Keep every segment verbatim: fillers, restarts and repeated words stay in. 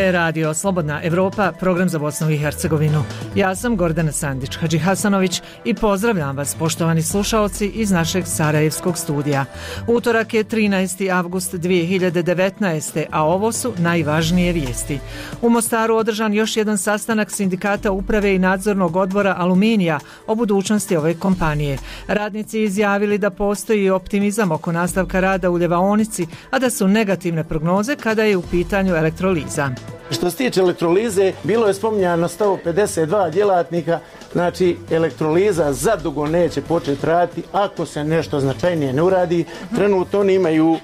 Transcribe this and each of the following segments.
je radio Slobodna Evropa, program za Bosnu i Hercegovinu. Ja sam Gordana Sandić Hadžihasanović i pozdravljam vas, poštovani slušaoci, iz našeg sarajevskog studija. Utorak je trinaesti avgust dvije hiljade devetnaeste. a ovo su najvažnije vijesti. U Mostaru održan još jedan sastanak sindikata uprave i nadzornog odbora Aluminija o budućnosti ove kompanije. Radnici izjavili da postoji optimizam oko nastavka rada u ljevaonici, a da su negativne prognoze kada je u pitanju elektroliza. Što se tiče elektrolize, bilo je spominjano sto pedeset dva djelatnika, znači elektroliza zadugo neće početi raditi ako se nešto značajnije ne uradi. Trenutno oni imaju uh,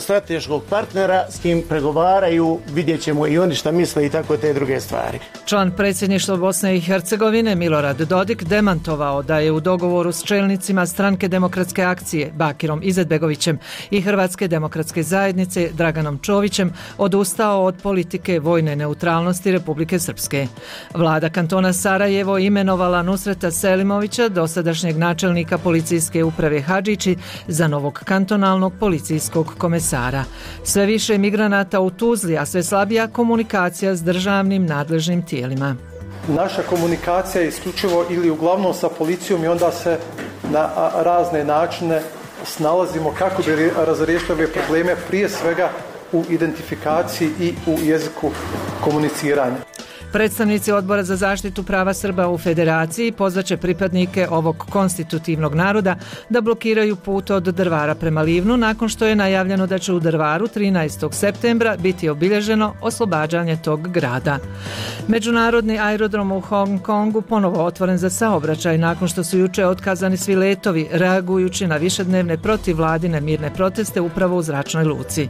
strateškog partnera s kim pregovaraju, vidjet ćemo i oni šta misle i tako te druge stvari. Član predsjedništva Bosne i Hercegovine Milorad Dodik demantovao da je u dogovoru s čelnicima Stranke demokratske akcije Bakirom Izetbegovićem i Hrvatske demokratske zajednice Draganom Čovićem odustao od politike vojne neutralnosti Republike Srpske. Vlada kantona Sarajevo imenovala Nusreta Selimovića, dosadašnjeg načelnika policijske uprave Hadžići, za novog kantonalnog policijskog komesara. Sve više migranata u Tuzli, a sve slabija komunikacija s državnim nadležnim tijelima. Naša komunikacija je isključivo ili uglavnom sa policijom i onda se na razne načine snalazimo kako bi razriješili ove probleme, prije svega u identifikaciji i u jeziku komuniciranja. Predstavnici Odbora za zaštitu prava Srba u Federaciji pozvaće pripadnike ovog konstitutivnog naroda da blokiraju put od Drvara prema Livnu, nakon što je najavljeno da će u Drvaru trinaestog septembra biti obilježeno oslobađanje tog grada. Međunarodni aerodrom u Hong Kongu ponovo otvoren za saobraćaj nakon što su juče otkazani svi letovi, reagujući na višednevne protivvladine mirne proteste upravo u zračnoj luci.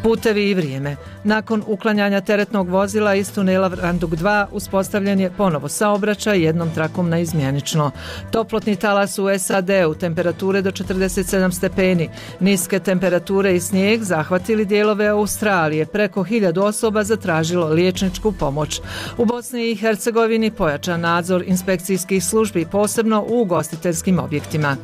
Putevi i vrijeme. Nakon uklanjanja teretnog vozila iz tunela Randug dva uspostavljen je ponovo saobraćaj jednom trakom na izmjenično. Toplotni talas u S A D-u, temperature do četrdeset sedam stepeni, niske temperature i snijeg zahvatili dijelove Australije. Preko hiljadu osoba zatražilo liječničku pomoć. U Bosni i Hercegovini pojačan nadzor inspekcijskih službi, posebno u ugostiteljskim objektima.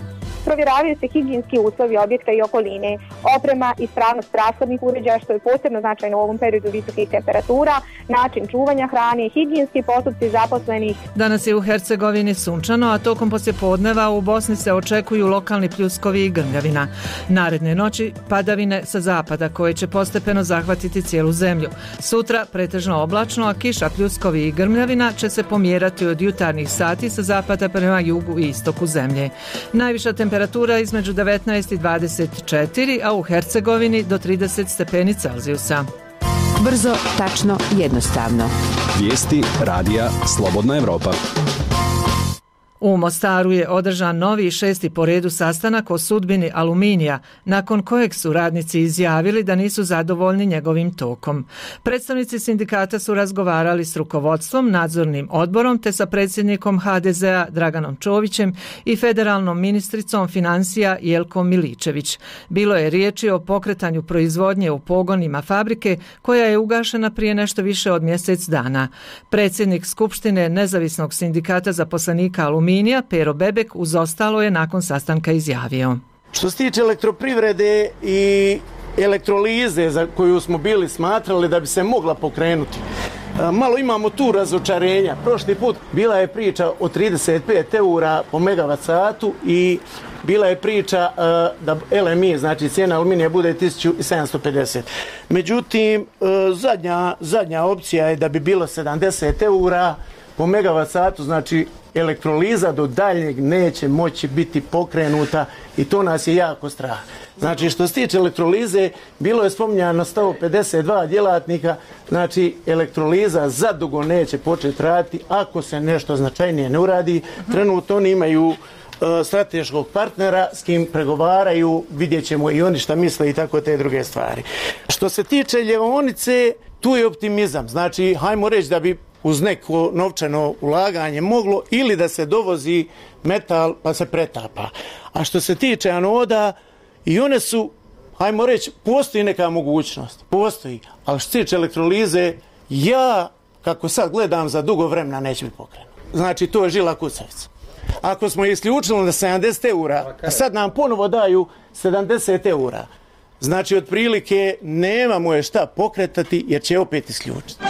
Provjeravaju se higijenski uslovi objekta i okoline, oprema i ispravnost rashodnih uređaja, što je posebno značajno u ovom periodu visokih temperatura, način čuvanja hrane, higijenski postupci zaposlenih. Danas je u Hercegovini sunčano, a tokom poslijepodneva u Bosni se očekuju lokalni pljuskovi i grmljavina. Naredne noći padavine sa zapada koje će postepeno zahvatiti cijelu zemlju. Sutra pretežno oblačno, a kiša, pljuskovi i grmljavina će se pomjerati od jutarnjih sati sa zapada prema jugu i istoku zemlje. Najviša temperatura između devetnaest i dvadeset četiri, a u Hercegovini do trideset stepeni Celzijusa. Brzo, tačno, jednostavno. Vijesti radija Slobodna Evropa. U Mostaru je održan novi šesti po redu sastanak o sudbini Aluminija, nakon kojeg su radnici izjavili da nisu zadovoljni njegovim tokom. Predstavnici sindikata su razgovarali s rukovodstvom, nadzornim odborom te sa predsjednikom H D Z A Draganom Čovićem i federalnom ministricom financija Jelkom Miličević. Bilo je riječi o pokretanju proizvodnje u pogonima fabrike koja je ugašena prije nešto više od mjesec dana. Predsjednik Skupštine Nezavisnog sindikata zaposlenika Aluminija Pero Bebek uz ostalo je nakon sastanka izjavio. Što se tiče elektroprivrede i elektrolize za koju smo bili smatrali da bi se mogla pokrenuti, malo imamo tu razočarenja. Prošli put bila je priča o trideset pet eura po megavat satu i bila je priča uh, da L M I, znači cijena aluminija, bude tisuću sedamsto pedeset. Međutim, uh, zadnja, zadnja opcija je da bi bilo sedamdeset eura po megavat satu, znači elektroliza do daljnjeg neće moći biti pokrenuta i to nas je jako strah. Znači, što se tiče elektrolize, bilo je spominjano sto pedeset dva djelatnika, znači elektroliza zadugo neće početi raditi ako se nešto značajnije ne uradi. Trenutno oni imaju uh, strateškog partnera s kim pregovaraju, vidjet ćemo i oni šta misle i tako te druge stvari. Što se tiče ljevaonice, tu je optimizam. Znači, hajmo reći da bi uz neko novčano ulaganje moglo ili da se dovozi metal pa se pretapa. A što se tiče anoda, i one su, hajmo reći, postoji neka mogućnost. Postoji. Ali što se tiče elektrolize, ja, kako sad gledam, za dugo vremena neće biti pokrenut. Znači, to je žila kucavica. Ako smo isključili na sedamdeset eura, a sad nam ponovo daju sedamdeset eura, znači, otprilike nemamo je šta pokretati jer će opet isključiti.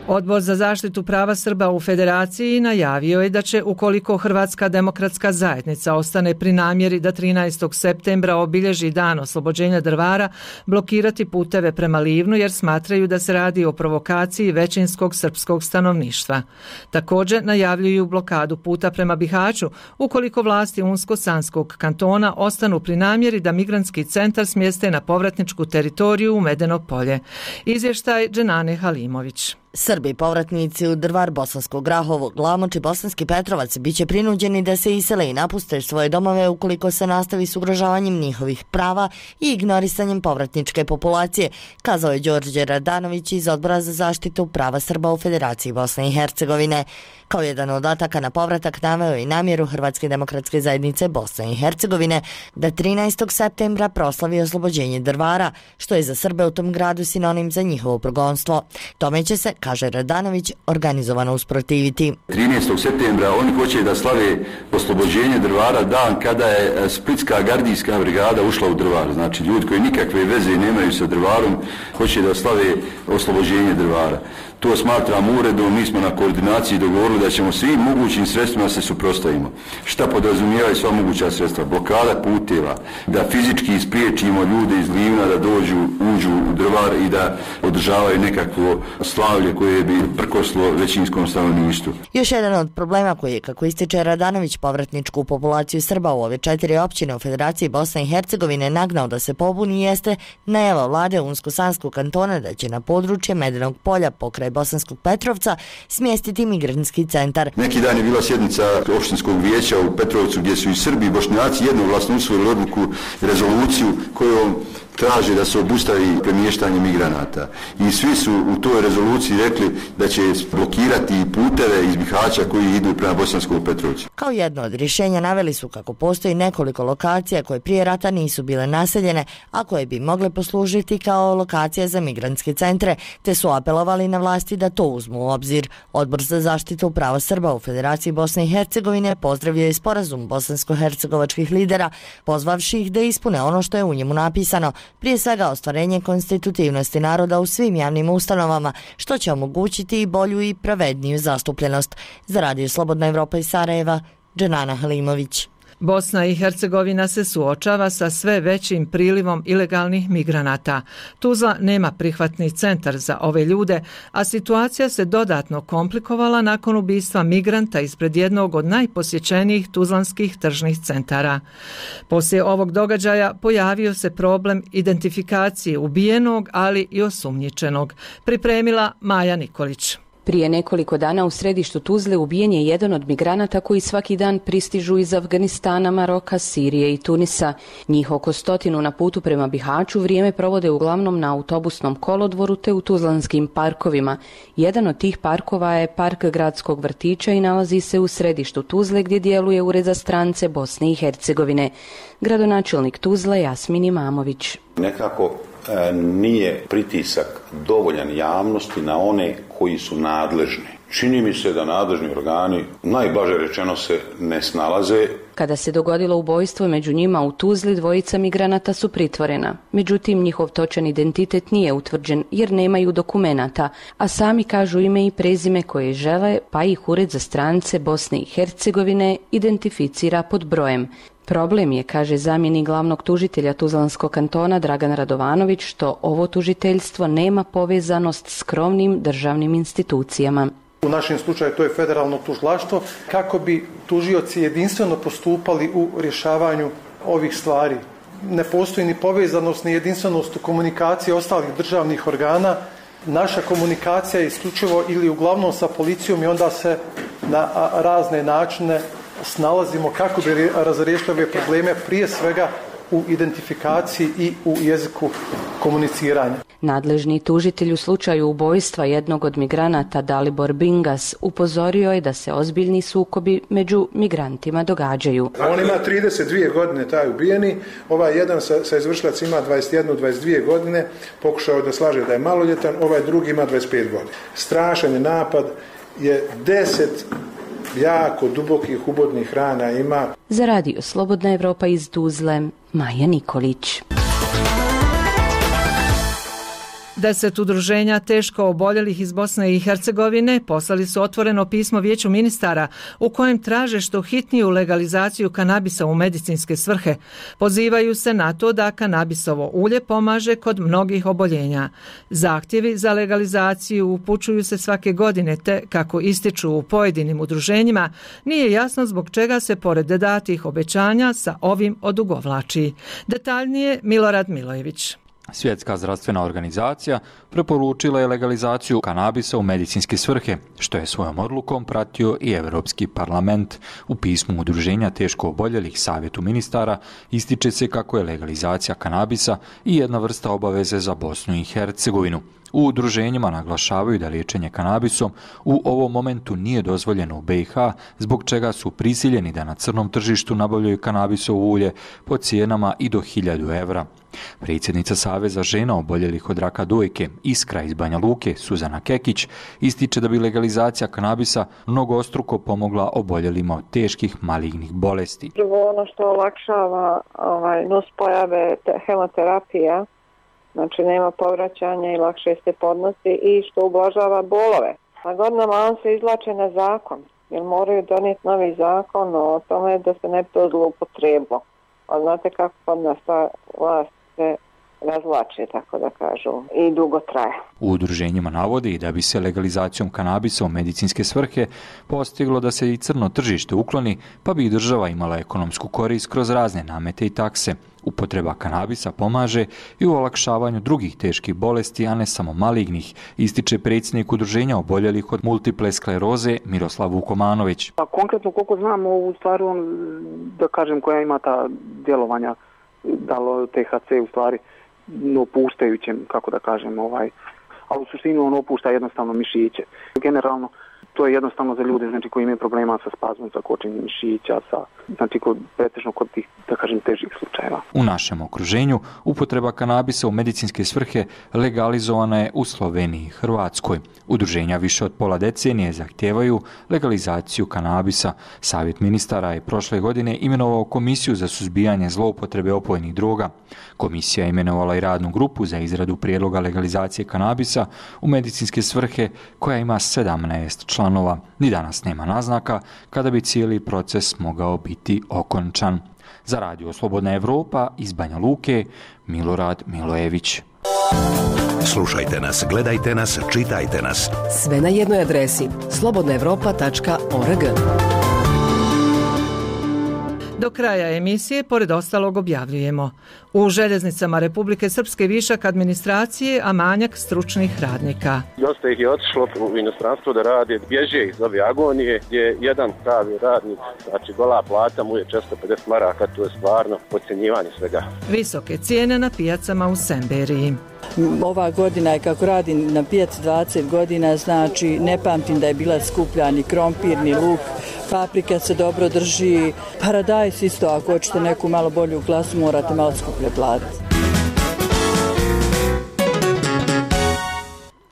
Odbor za zaštitu prava Srba u Federaciji najavio je da će, ukoliko Hrvatska demokratska zajednica ostane pri namjeri da trinaestog septembra obilježi dan oslobođenja Drvara, blokirati puteve prema Livnu jer smatraju da se radi o provokaciji većinskog srpskog stanovništva. Također najavljuju blokadu puta prema Bihaću ukoliko vlasti Unsko-Sanskog kantona ostanu pri namjeri da migrantski centar smjeste na povratničku teritoriju u Medeno polje. Izvještaj Dženane Halimović. Srbi povratnici u Drvar, Bosansko Grahovo, Glamoč i Bosanski Petrovac biće prinuđeni da se isele i napuste svoje domove ukoliko se nastavi s ugrožavanjem njihovih prava i ignorisanjem povratničke populacije, kazao je Đorđe Radanović iz Odbora za zaštitu prava Srba u Federaciji Bosne i Hercegovine. Kao jedan od ataka na povratak naveo i namjeru Hrvatske demokratske zajednice Bosne i Hercegovine da trinaestog septembra proslavi oslobođenje Drvara, što je za Srbe u tom gradu sinonim za njihovo progonstvo. Tome će se, kaže Radanović, organizovano usprotiviti. trinaestog septembra oni hoće da slave oslobođenje Drvara dan kada je Splitska gardijska brigada ušla u Drvar. Znači ljudi koji nikakve veze nemaju sa Drvarom hoće da slave oslobođenje Drvara. To smatram uredom, mi smo na koordinaciji dogovorili da ćemo svim mogućim sredstvima se suprotstavimo. Šta podrazumijevaju sva moguća sredstva? Blokada puteva, da fizički ispriječimo ljude iz Livna da dođu, uđu u Drvar i da održavaju nekakvo slavlje koje bi prkoslo većinskom stanovništvu. Još jedan od problema koji je, kako ističe Radanović, povratničku populaciju Srba u ove četiri općine u Federaciji Bosne i Hercegovine nagnao da se pobuni jeste najava vlade Unsko-Sanskog kantona da će na područje Medenog polja pokraj Bosanskog Petrovca smjestiti migrantski centar. Neki dan je bila sjednica opštinskog vijeća u Petrovcu gdje su i Srbi i Bošnjaci jednoglasno usvojili odluku, rezoluciju kojom traže da se obustavi premještanje migranata. I svi su u toj rezoluciji rekli da će blokirati puteve iz Bihaća koji idu prema Bosanskom Petrovcu. Kao jedno od rješenja naveli su kako postoji nekoliko lokacija koje prije rata nisu bile naseljene, a koje bi mogle poslužiti kao lokacije za migrantske centre, te su apelovali na vlasti da to uzmu u obzir. Odbor za zaštitu prava Srba u Federaciji Bosne i Hercegovine pozdravio je sporazum bosansko-hercegovačkih lidera, pozvavši ih da ispune ono što je u njemu napisano, prije svega ostvarenje konstitutivnosti naroda u svim javnim ustanovama, što će omogućiti i bolju i pravedniju zastupljenost. Za Radio Slobodna Evropa iz Sarajeva, Dženana Halimović. Bosna i Hercegovina se suočava sa sve većim prilivom ilegalnih migranata. Tuzla nema prihvatni centar za ove ljude, a situacija se dodatno komplikovala nakon ubistva migranta ispred jednog od najposjećenijih tuzlanskih tržnih centara. Poslije ovog događaja pojavio se problem identifikacije ubijenog, ali i osumnjičenog. Pripremila Maja Nikolić. Prije nekoliko dana u središtu Tuzle ubijen je jedan od migranata koji svaki dan pristižu iz Afganistana, Maroka, Sirije i Tunisa. Njih oko stotinu na putu prema Bihaću vrijeme provode uglavnom na autobusnom kolodvoru te u tuzlanskim parkovima. Jedan od tih parkova je Park gradskog vrtića i nalazi se u središtu Tuzle gdje djeluje Ured za strance Bosne i Hercegovine. Gradonačelnik Tuzle Jasmin Imamović. Nekako nije pritisak dovoljan javnosti na one koji su nadležni. Čini mi se da nadležni organi, najblaže rečeno, se ne snalaze. Kada se dogodilo ubojstvo među njima u Tuzli, dvojica migranata su pritvorena. Međutim, njihov točan identitet nije utvrđen jer nemaju dokumenata, a sami kažu ime i prezime koje žele, pa ih Ured za strance Bosne i Hercegovine identificira pod brojem. Problem je, kaže zamjenik glavnog tužitelja Tuzlanskog kantona Dragan Radovanović, što ovo tužiteljstvo nema povezanost s krovnim državnim institucijama. U našem slučaju to je federalno tužilaštvo, kako bi tužioci jedinstveno postupali u rješavanju ovih stvari. Ne postoji ni povezanost ni jedinstvenost u komunikaciji ostalih državnih organa. Naša komunikacija je isključivo ili uglavnom sa policijom i onda se na razne načine snalazimo kako bi razriješili ove probleme, prije svega u identifikaciji i u jeziku komuniciranja. Nadležni tužitelj u slučaju ubojstva jednog od migranata Dalibor Bingas upozorio je da se ozbiljni sukobi među migrantima događaju. On ima trideset dvije godine, taj ubijeni, ovaj jedan sa, sa izvršilac ima dvadeset jednu dvadeset dvije godine, pokušao da slaže da je maloljetan, ovaj drugi ima dvadeset pet godina. Strašan je napad, je deset jako dubokih ubodnih rana ima. Za Radio Slobodna Evropa iz Tuzle, Maja Nikolić. Deset udruženja teško oboljelih iz Bosne i Hercegovine poslali su otvoreno pismo Vijeću ministara u kojem traže što hitniju legalizaciju kanabisa u medicinske svrhe. Pozivaju se na to da kanabisovo ulje pomaže kod mnogih oboljenja. Zahtjevi za legalizaciju upućuju se svake godine te, kako ističu u pojedinim udruženjima, nije jasno zbog čega se pored datih obećanja sa ovim odugovlači. Detaljnije Milorad Milojević. Svjetska zdravstvena organizacija preporučila je legalizaciju kanabisa u medicinske svrhe, što je svojom odlukom pratio i Europski parlament. U pismu udruženja teško oboljelih Savjetu ministara ističe se kako je legalizacija kanabisa i jedna vrsta obaveze za Bosnu i Hercegovinu. U udruženjima naglašavaju da liječenje kanabisom u ovom momentu nije dozvoljeno u B i H, zbog čega su prisiljeni da na crnom tržištu nabavljaju kanabisovo ulje po cijenama i do hiljadu evra. Predsjednica Saveza žena oboljelih od raka dojke Iskra iz Banja Luke, Suzana Kekić, ističe da bi legalizacija kanabisa mnogostruko pomogla oboljelima od teških malignih bolesti. Prvo ono što olakšava ovaj, nuspojave hemoterapija, znači nema povraćanja i lakše se podnosi, i što ublažava bolove. Na godinama on se izvlače na zakon, jer moraju donijeti novi zakon o tome da se ne bi to zloupotrebilo. A znate kako kod nas ta vlast se razvlače, tako da kažu, i dugo traje. U udruženjima navodi da bi se legalizacijom kanabisa u medicinske svrhe postiglo da se i crno tržište ukloni, pa bi i država imala ekonomsku korist kroz razne namete i takse. Upotreba kanabisa pomaže i u olakšavanju drugih teških bolesti, a ne samo malignih, ističe predsjednik udruženja oboljelih od multiple skleroze Miroslav Vukomanović. A konkretno koliko znamo, u stvari on, da kažem, koja ima ta djelovanja, da li T H C u stvari opuštajućem, kako da kažem, ovaj, a u suštini on opušta jednostavno mišiće. Generalno, to je jednostavno za ljude, znači, koji imaju problema sa spazmom, sa kočenjem mišića, sa, znači, kod, pretežno kod tih, da kažem, težih slučajeva. U našem okruženju upotreba kanabisa u medicinske svrhe legalizovana je u Sloveniji i Hrvatskoj. Udruženja više od pola decenije zahtijevaju legalizaciju kanabisa. Savjet ministara je prošle godine imenovao Komisiju za suzbijanje zloupotrebe opojnih droga. Komisija je imenovala i radnu grupu za izradu prijedloga legalizacije kanabisa u medicinske svrhe koja ima sedamnaest članova. Ni danas nema naznaka kada bi cijeli proces mogao biti okončan. Za Radio Slobodna Evropa iz Banja Luke, Milorad Milojević. Slušajte nas, gledajte nas, čitajte nas. Sve na jednoj adresi slobodna evropa tačka org. Do kraja emisije, pored ostalog, objavljujemo: u željeznicama Republike Srpske višak administracije, a manjak stručnih radnika. Dosta ih je otišlo u inostranstvo da rade, bježe iz ove agonije, gdje jedan pravi radnik, znači gola plata mu je često pedeset maraka, to je stvarno podcjenjivanje svega. Visoke cijene na pijacama u Semberiji. Ova godina je, kako radim na pijaci dvadeset godina, znači ne pamtim da je bila skuplja ni krompir, ni luk, paprika se dobro drži, paradajs isto, ako hoćete neku malo bolju klasu morate malo skuplje platiti.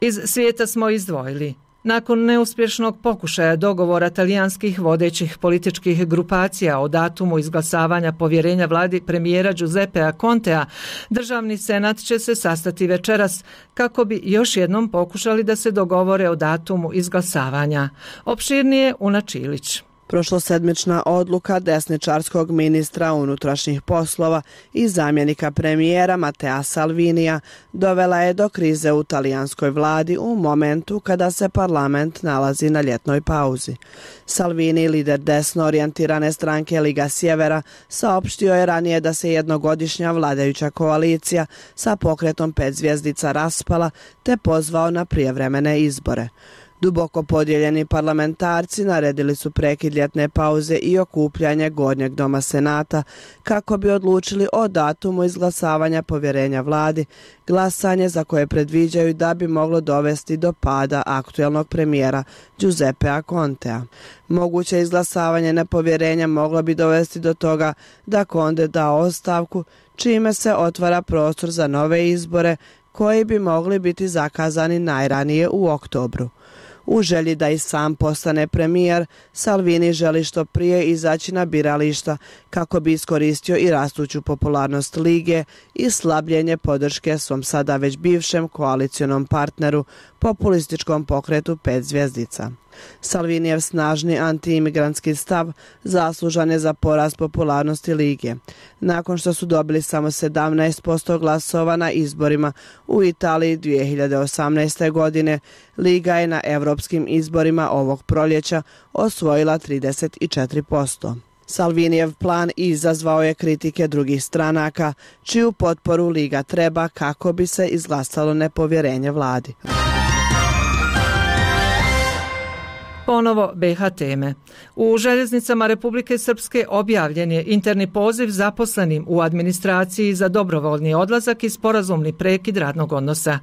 Iz svijeta smo izdvojili: nakon neuspješnog pokušaja dogovora talijanskih vodećih političkih grupacija o datumu izglasavanja povjerenja vladi premijera Giuseppea Contea, državni senat će se sastati večeras kako bi još jednom pokušali da se dogovore o datumu izglasavanja. Opširnije Una Čilić. Prošlosedmična odluka desničarskog ministra unutrašnjih poslova i zamjenika premijera Matea Salvinija dovela je do krize u talijanskoj vladi u momentu kada se parlament nalazi na ljetnoj pauzi. Salvini, lider desno orijentirane stranke Liga Sjevera, saopštio je ranije da se jednogodišnja vladajuća koalicija sa pokretom pet zvjezdica raspala te pozvao na prijevremene izbore. Duboko podijeljeni parlamentarci naredili su prekid ljetne pauze i okupljanje Gornjeg doma Senata kako bi odlučili o datumu izglasavanja povjerenja vladi, glasanje za koje predviđaju da bi moglo dovesti do pada aktuelnog premijera Giuseppea Contea. Moguće izglasavanje nepovjerenja moglo bi dovesti do toga da Conte da ostavku, čime se otvara prostor za nove izbore koji bi mogli biti zakazani najranije u oktobru. U želji da i sam postane premijer, Salvini želi što prije izaći na birališta kako bi iskoristio i rastuću popularnost lige i slabljenje podrške svom sada već bivšem koalicionom partneru, populističkom pokretu pet zvjezdica. Salvinijev snažni antiimigrantski stav zaslužan je za porast popularnosti lige. Nakon što su dobili samo sedamnaest posto glasova na izborima u Italiji dvije hiljade osamnaeste. godine, liga je na europskim izborima ovog proljeća osvojila trideset četiri posto. Salvinijev plan izazvao je kritike drugih stranaka, čiju potporu liga treba kako bi se izglasalo nepovjerenje vladi. Ponovo B H teme. U željeznicama Republike Srpske objavljen je interni poziv zaposlenim u administraciji za dobrovoljni odlazak i sporazumni prekid radnog odnosa.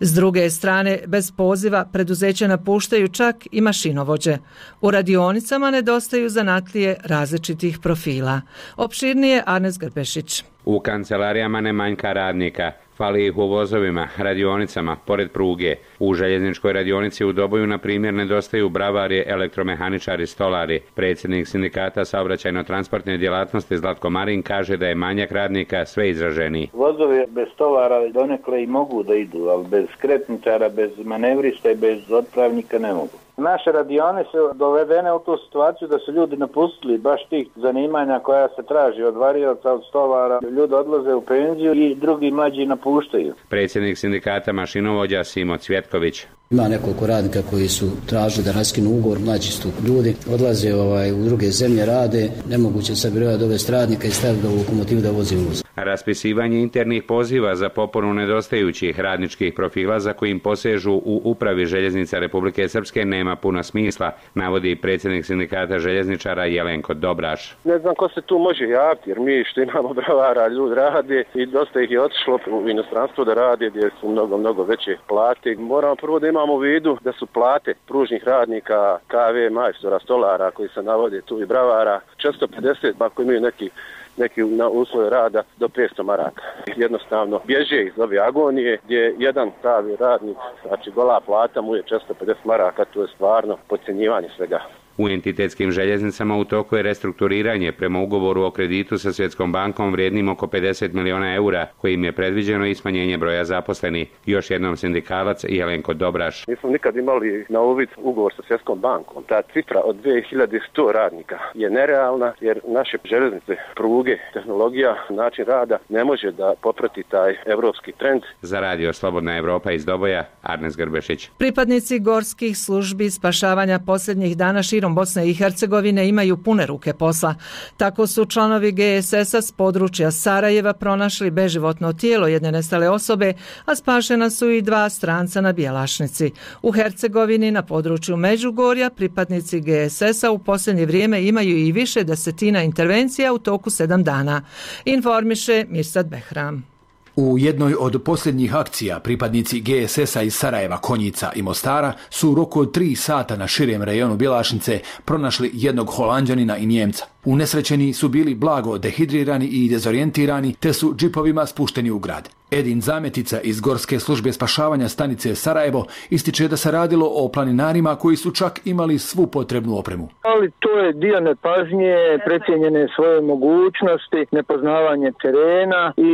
S druge strane, bez poziva preduzeće napuštaju čak i mašinovođe. U radionicama nedostaju zanatlije različitih profila. Opširnije Arnes Grbešić. U kancelarijama ne manjka radnika. Fali ih u vozovima, radionicama, pored pruge. U željezničkoj radionici u Doboju, na primjer, nedostaju bravari, elektromehaničari, stolari. Predsjednik sindikata saobraćajno-transportne djelatnosti Zlatko Marin kaže da je manjak radnika sve izraženiji. Vozovi bez stolara donekle i mogu da idu, ali bez skretničara, bez manevrista i bez otpravnika ne mogu. Naše radione su dovedene u tu situaciju da su ljudi napustili baš tih zanimanja koja se traži od varioca, od stolara. Ljudi odlaze u penziju i drugi mlađi napuštaju. Predsjednik sindikata mašinovođa Simo Cvjetković. Ima nekoliko radnika koji su tražili da raskinu ugovor, mlađi su ljudi, odlaze ovaj, u druge zemlje, rade, nemoguće se birati dovesti radnika i staviti ga u lokomotivu da vozi uvoz. Raspisivanje internih poziva za popunu nedostająćih radničkih profila za kojim posežu u upravi željeznica Republike Srpske nema puno smisla, navodi predsjednik sindikata željezničara Jelenko Dobraš. Ne znam ko se tu može javiti, jer mi što imamo bravara, ljudi rade i dosta ih je otišlo u inostranstvo da rade gdje su mnogo, mnogo veće plate. Moramo prvo da imamo u vidu da su plate pružnih radnika, K V majstora, stolara koji se navode tu i bravara četiristo pedeset, ako imaju neki neki na uslove rada do petsto maraka. Jednostavno bježe iz ove agonije gdje jedan pravi radnik, znači gola plata mu je četiristo pedeset maraka, to je stvarno podcjenjivanje svega. U entitetskim željeznicama u toku je restrukturiranje prema ugovoru o kreditu sa Svjetskom bankom vrijednim oko pedeset miliona eura, kojim je predviđeno i smanjenje broja zaposlenih. Još jednom sindikalac Jelenko Dobraš. Nismo nikad imali na uvid ugovor sa Svjetskom bankom. Ta cifra od dvije hiljade sto radnika je nerealna jer naše željeznice, pruge, tehnologija, način rada ne može da poprati taj evropski trend. Za radio Slobodna Evropa iz Doboja, Arnes Grbešić. Pripadnici gorskih službi spašavanja posljednjih dana širom Bosne i Hercegovine imaju pune ruke posla. Tako su članovi G S S-a s područja Sarajeva pronašli beživotno tijelo jedne nestale osobe, a spašena su i dva stranca na Bjelašnici. U Hercegovini na području Međugorja pripadnici G S S-a u posljednje vrijeme imaju i više desetina intervencija u toku sedam dana. Informiše Mirsad Behram. U jednoj od posljednjih akcija pripadnici G S S-a iz Sarajeva, Konjica i Mostara su u roku od tri sata na širem rejonu Bjelašnice pronašli jednog Holanđanina i Njemca. Unesrećeni su bili blago dehidrirani i dezorijentirani, te su džipovima spušteni u grad. Edin Zametica iz Gorske službe spašavanja stanice Sarajevo ističe da se radilo o planinarima koji su čak imali svu potrebnu opremu. Ali to je dio nepažnje, precijenjene svoje mogućnosti, nepoznavanje terena i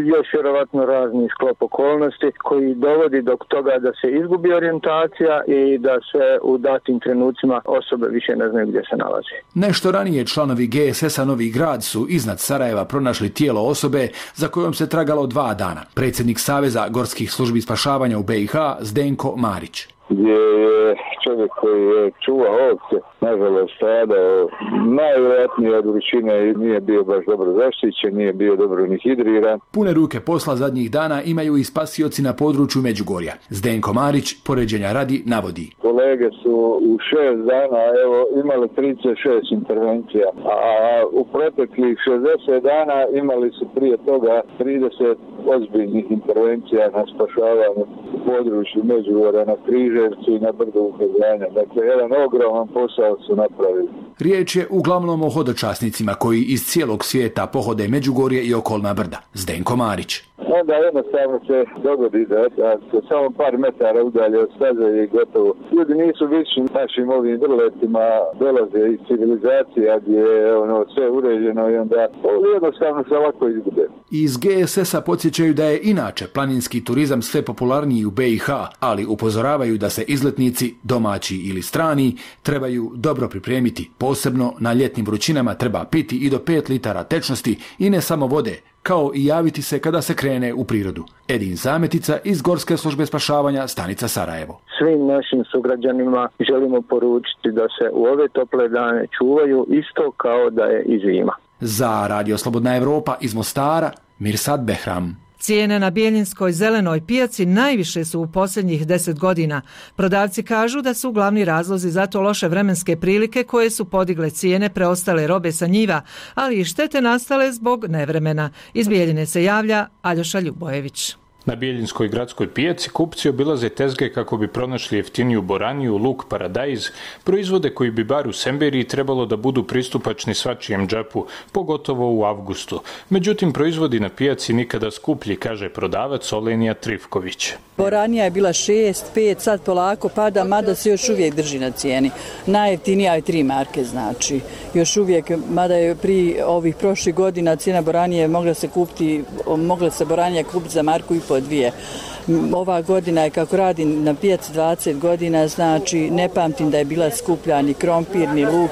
još vjerovatno razni sklop okolnosti koji dovodi do toga da se izgubi orijentacija i da se u datim trenucima osobe više ne znaju gdje se nalazi. Nešto ranije članovi G S S-a Novi Grad su iznad Sarajeva pronašli tijelo osobe za kojom se tragalo dva dana. Predsjednik Saveza gorskih službi spašavanja u B i H Zdenko Marić. Gdje je čovjek koji je čuvao ovce, nažalost, stradao najvjerojatnije od vrućine i nije bio baš dobro zaštićen, nije bio dobro ni hidriran. Pune ruke posla zadnjih dana imaju i spasioci na području Međugorja. Zdenko Marić, poređenja radi, navodi. Kolege su u šest dana evo, imali trideset šest intervencija, a u proteklih šezdeset dana imali su prije toga trideset ozbiljnih intervencija na spašavanju u području Međugorja, na Križevcu i na Brdu Ukazanja. Dakle, jedan ogroman posao su napravili. Riječ je uglavnom o hodočasnicima koji iz cijelog svijeta pohode Međugorje i okolna brda. Zdenko Marić. onda jednostavno se dogodi da, da se samo par metara udalje od staze i gotovo. Ljudi nisu vični našim ovim vrletima, dolaze iz civilizacija gdje je ono, sve uređeno i onda jednostavno se ovako izgube. Iz G S S-a podsjećaju da je inače planinski turizam sve popularniji u B i H, ali upozoravaju da se izletnici, domaći ili strani, trebaju dobro pripremiti. Posebno na ljetnim vrućinama treba piti i do pet litara tečnosti i ne samo vode, kao i javiti se kada se krene u prirodu. Edin Zametica iz Gorske službe spašavanja, stanica Sarajevo. Svim našim sugrađanima želimo poručiti da se u ove tople dane čuvaju isto kao da je i zima. Za Radio Slobodna Evropa iz Mostara, Mirsad Behram. Cijene na Bjeljinskoj zelenoj pijaci najviše su u posljednjih deset godina. Prodavci kažu da su glavni razlozi za to loše vremenske prilike koje su podigle cijene preostale robe sa njiva, ali i štete nastale zbog nevremena. Iz Bjeljine se javlja Aljoša Ljubojević. Na Bjeljinskoj gradskoj pijaci kupci obilaze tezge kako bi pronašli jeftiniju boraniju, luk, paradajz, proizvode koji bi bar u Semberiji trebalo da budu pristupačni svačijem džepu, pogotovo u avgustu. Međutim, proizvodi na pijaci nikada skuplji, kaže prodavac Olenija Trifković. Boranija je bila šest, pet, sad polako pada, mada se još uvijek drži na cijeni. Najjeftinija je tri marke, znači. Još uvijek, mada je pri ovih prošlih godina cijena boranije mogla se kupiti, mogla se boranija kupiti za marku i po dvije. Ova godina je, kako radim na pijaci dvadeset godina, znači ne pamtim da je bila skuplja ni krompir, ni luk,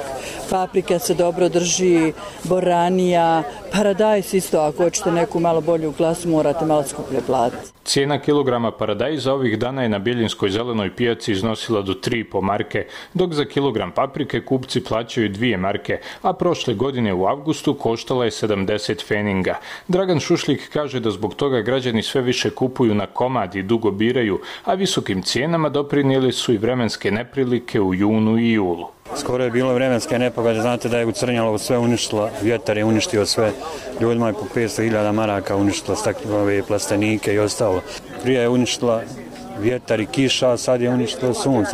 paprika se dobro drži, boranija, paradajz isto, ako hoćete neku malo bolju klasu morate malo skuplje platiti. Cijena kilograma paradajza ovih dana je na Bjeljinskoj zelenoj pijaci iznosila do tri i po marke, dok za kilogram paprike kupci plaćaju dvije marke, a prošle godine u avgustu koštala je sedamdeset feninga. Dragan Šušlik kaže da zbog toga građani sve više kupuju na komad i dugo biraju, a visokim cijenama doprinijeli su i vremenske neprilike u junu i julu. Skoro je bilo vremenske nepogode, znate da je u Crnjalovu sve uništilo, vjetar je uništio sve, ljudima je po petsto hiljada maraka uništilo stakle, plastenike i ostalo. Prije je uništila vjetar i kiša, a sad je uništilo sunce.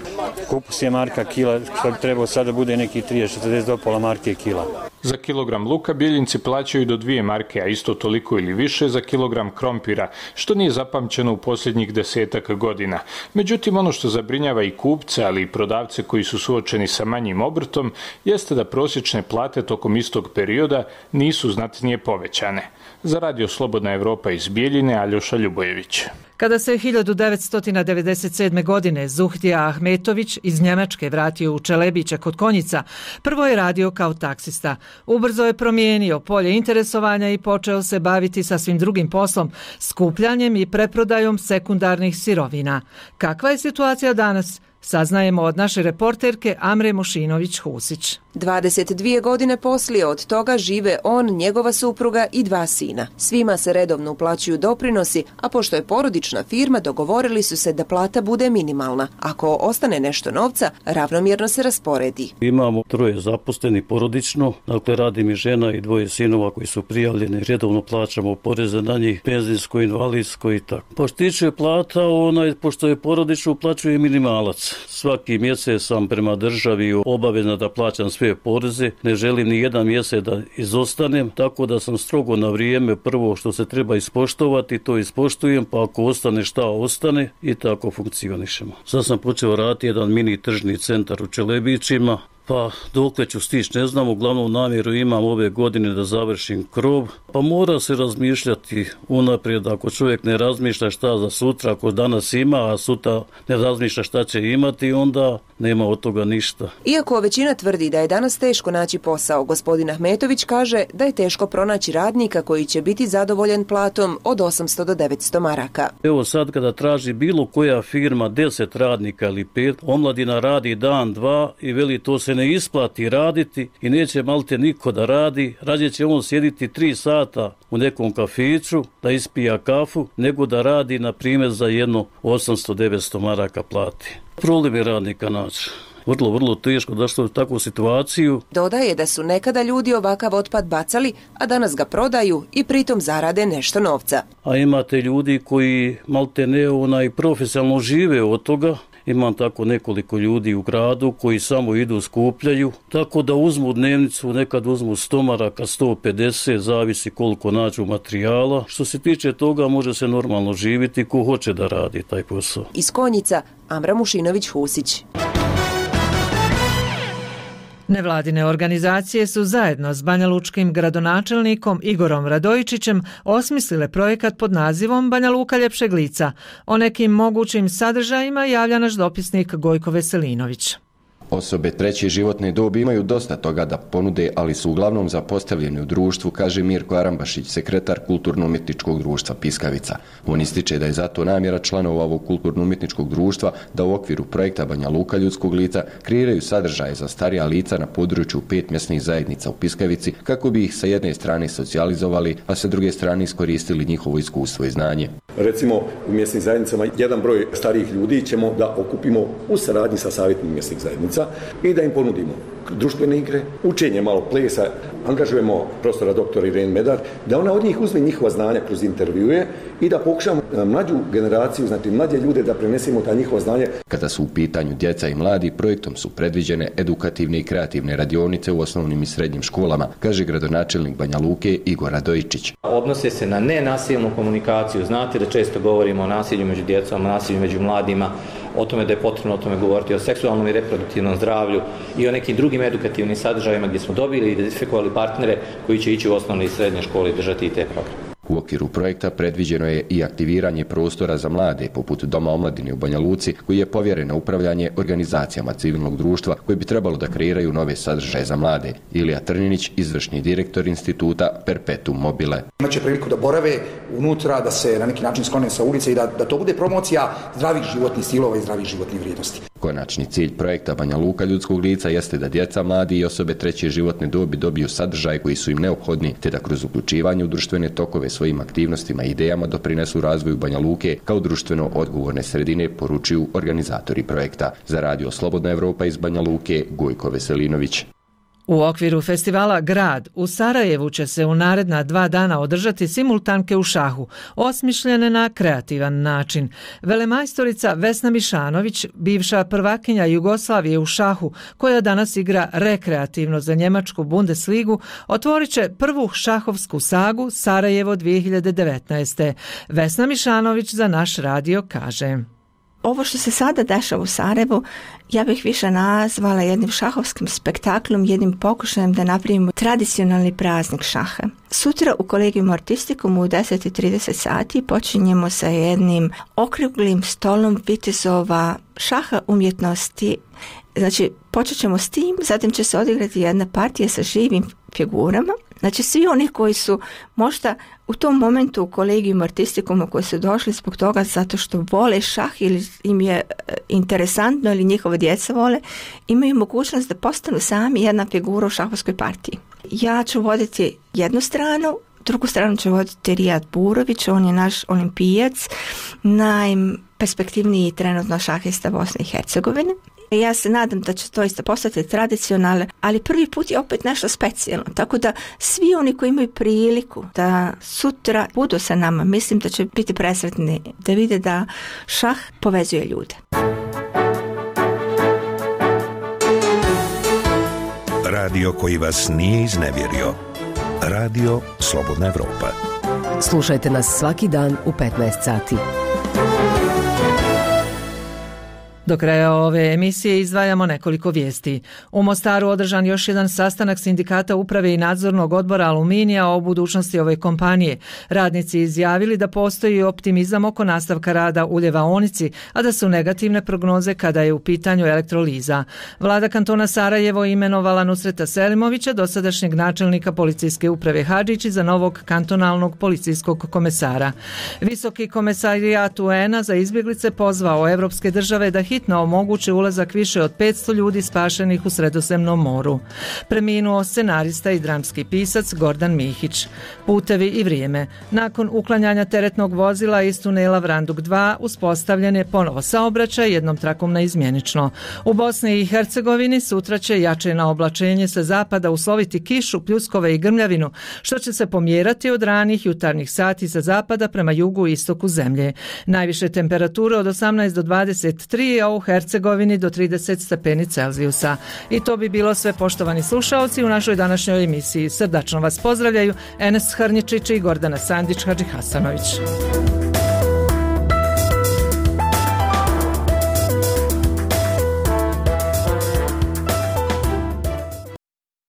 Kupus je marka kila, što bi trebalo sad da bude neki trideset četrdeset do pola marke kila. Za kilogram luka Bjeljinci plaćaju do dvije marke, a isto toliko ili više za kilogram krompira, što nije zapamćeno u posljednjih desetak godina. Međutim, ono što zabrinjava i kupce, ali i prodavce koji su suočeni sa manjim obrtom, jeste da prosječne plate tokom istog perioda nisu znatnije povećane. Za Radio Slobodna Evropa iz Bjeljine, Aljoša Ljubojević. Kada se hiljadu devetsto devedeset sedme. godine Zuhtija Ahmetović iz Njemačke vratio u Čelebiće kod Konjica, prvo je radio kao taksista. Ubrzo je promijenio polje interesovanja i počeo se baviti sasvim drugim poslom, skupljanjem i preprodajom sekundarnih sirovina. Kakva je situacija danas? Saznajemo od naše reporterke Amre Mošinović-Husić. dvadeset dvije godine poslije od toga žive on, njegova supruga i dva sina. Svima se redovno uplaćuju doprinosi, a pošto je porodična firma, dogovorili su se da plata bude minimalna. Ako ostane nešto novca, ravnomjerno se rasporedi. Imamo troje zaposleni porodično, dakle radi mi žena i dvoje sinova koji su prijavljeni, redovno plaćamo poreze na njih, penzijsko, invalidsko i tako. Pa što tiče plata, onaj, pošto je porodično, uplaćuje minimalac. Svaki mjesec sam prema državi obavezna da plaćam sve poreze, ne želim ni jedan mjesec da izostanem, tako da sam strogo na vrijeme prvo što se treba ispoštovati, to ispoštujem, pa ako ostane šta ostane i tako funkcionišemo. Sad sam počeo raditi jedan mini tržni centar u Čelebićima, pa dokle ću stići ne znam, uglavnom namjeru imam ove godine da završim krov, pa mora se razmišljati unaprijed, ako čovjek ne razmišlja šta za sutra, ako danas ima, a sutra ne razmišlja šta će imati, onda nema od toga ništa. Iako većina tvrdi da je danas teško naći posao, gospodin Ahmetović kaže da je teško pronaći radnika koji će biti zadovoljan platom od osamsto do devetsto maraka. Evo sad kada traži bilo koja firma deset radnika ili pet, omladina radi dan, dva i veli to se ne isplati raditi i neće malte niko da radi, rađe će on sjediti tri sata u nekom kafiću da ispija kafu, nego da radi na primjer za jedno osamsto do devetsto maraka plati. Problem je radnika naći. Vrlo, vrlo teško došlo u takvu situaciju. Dodaje da su nekada ljudi ovakav otpad bacali, a danas ga prodaju i pritom zarade nešto novca. A imate ljudi koji malte ne onaj profesionalno žive od toga Imam tako nekoliko ljudi u gradu koji samo idu skupljaju, tako da uzmu dnevnicu, nekad uzmu sto maraka, sto pedeset, zavisi koliko nađu materijala. Što se tiče toga može se normalno živjeti ko hoće da radi taj posao. Iz Konjica, Amra Mušinović-Husić. Nevladine organizacije su zajedno s banjalučkim gradonačelnikom Igorom Radojičićem osmislile projekat pod nazivom Banja Luka ljepšeg lica. O nekim mogućim sadržajima javlja naš dopisnik Gojko Veselinović. Osobe treće životne dobi imaju dosta toga da ponude, ali su uglavnom zapostavljeni u društvu, kaže Mirko Arambašić, sekretar Kulturno-umjetničkog društva Piskavica. On ističe da je zato namjera članova ovog Kulturno-umjetničkog društva da u okviru projekta Banja Luka ljudskog lica kreiraju sadržaje za starija lica na području pet mjesnih zajednica u Piskavici, kako bi ih sa jedne strane socijalizovali, a sa druge strane iskoristili njihovo iskustvo i znanje. Recimo, u mjesnim zajednicama jedan broj starijih ljudi ćemo da okupimo u saradnji sa savjetom mjesnih zajednica i da im ponudimo društvene igre, učenje malo plesa, angažujemo profesora doktora Irene Medar, da ona od njih uzme njihova znanja kroz intervjue i da pokušamo mlađu generaciju, znači mlađe ljude da prenesemo ta njihova znanja. Kada su u pitanju djeca i mladi, projektom su predviđene edukativne i kreativne radionice u osnovnim i srednjim školama, kaže gradonačelnik Banja Luke Igor Radojičić. Odnose se na nenasilnu komunikaciju. Znate da često govorimo o nasilju među djecom, o nasilju među mladima, o tome da je potrebno o tome govoriti, o seksualnom i reproduktivnom zdravlju i o nekim drugim edukativnim sadržajima gdje smo dobili i identifikovali partnere koji će ići u osnovne i srednje škole i držati i te programe. U okviru projekta predviđeno je i aktiviranje prostora za mlade, poput Doma omladine u Banja Luci, koji je povjeren na upravljanje organizacijama civilnog društva koji bi trebalo da kreiraju nove sadržaje za mlade. Ilija Trninić, izvršni direktor instituta Perpetuum mobile. Imaće priliku da borave unutra, da se na neki način sklone sa ulice i da, da to bude promocija zdravih životnih stilova i zdravih životnih vrijednosti. Konačni cilj projekta Banja Luka ljudskog lica jeste da djeca, mladi i osobe treće životne dobi dobiju sadržaje koji su im neophodni, te da kroz uključivanje u društvene tokove svojim aktivnostima i idejama doprinesu razvoju Banja Luke kao društveno odgovorne sredine, poručuju organizatori projekta. Za radio Slobodna Evropa iz Banja Luke, Gojko Veselinović. U okviru festivala Grad u Sarajevu će se u naredna dva dana održati simultanke u šahu, osmišljene na kreativan način. Velemajstorica Vesna Mišanović, bivša prvakinja Jugoslavije u šahu, koja danas igra rekreativno za njemačku Bundesligu, otvorit će prvu šahovsku sagu Sarajevo dvije hiljade devetnaeste. Vesna Mišanović za naš radio kaže: Ovo što se sada dešava u Sarajevu, ja bih više nazvala jednim šahovskim spektaklom, jednim pokušajem da napravimo tradicionalni praznik šaha. Sutra u Kolegijum Artistikum u deset i trideset sati počinjemo sa jednim okruglim stolom vitezova šaha umjetnosti. Znači, počet ćemo s tim, zatim će se odigrati jedna partija sa živim figurama. Znači, svi oni koji su možda u tom momentu u Kolegijum Artistikuma koji su došli zbog toga zato što vole šah ili im je interesantno ili njihova djeca vole, imaju mogućnost da postanu sami jedna figura u šahovskoj partiji. Ja ću voditi jednu stranu, drugu stranu će voditi Rijad Burović, on je naš olimpijac, najperspektivniji trenutno šahista Bosne i Hercegovine. Ja se nadam da će to isto postati tradicionalno, ali prvi put je opet nešto specijalno. Tako da svi oni koji imaju priliku da sutra budu sa nama, mislim da će biti presretni da vide da šah povezuje ljude. Radio koji vas nije iznevjerio. Radio Slobodna Evropa. Slušajte nas svaki dan u petnaest sati. Do kraja ove emisije izdvajamo nekoliko vijesti. U Mostaru održan još jedan sastanak sindikata uprave i nadzornog odbora Aluminija o budućnosti ove kompanije. Radnici izjavili da postoji optimizam oko nastavka rada u ljevaonici, a da su negativne prognoze kada je u pitanju elektroliza. Vlada kantona Sarajevo imenovala Nusreta Selimovića, dosadašnjeg načelnika policijske uprave Hadžići, za novog kantonalnog policijskog komesara. Visoki komesarijat U N-a za izbjeglice pozvao evropske države da hitno omoguće ulazak više od petsto ljudi spašenih u Sredozemnom moru. Preminuo scenarista i dramski pisac Gordan Mihić. Putevi i vrijeme. Nakon uklanjanja teretnog vozila iz tunela Vranduk dva uspostavljen je ponovo saobraćaj jednom trakom naizmjenično. U Bosni i Hercegovini sutra će jače na oblačenje sa zapada usloviti kišu, pljuskove i grmljavinu, što će se pomjerati od ranih jutarnjih sati sa zapada prema jugu i istoku zemlje. Najviše temperature od osamnaest do dvadeset tri, a a u Hercegovini do trideset stepeni Celzijusa. I to bi bilo sve, poštovani slušaoci, u našoj današnjoj emisiji. Srdačno vas pozdravljaju Enes Hrnjičić i Gordana Sandić Hadžihasanović.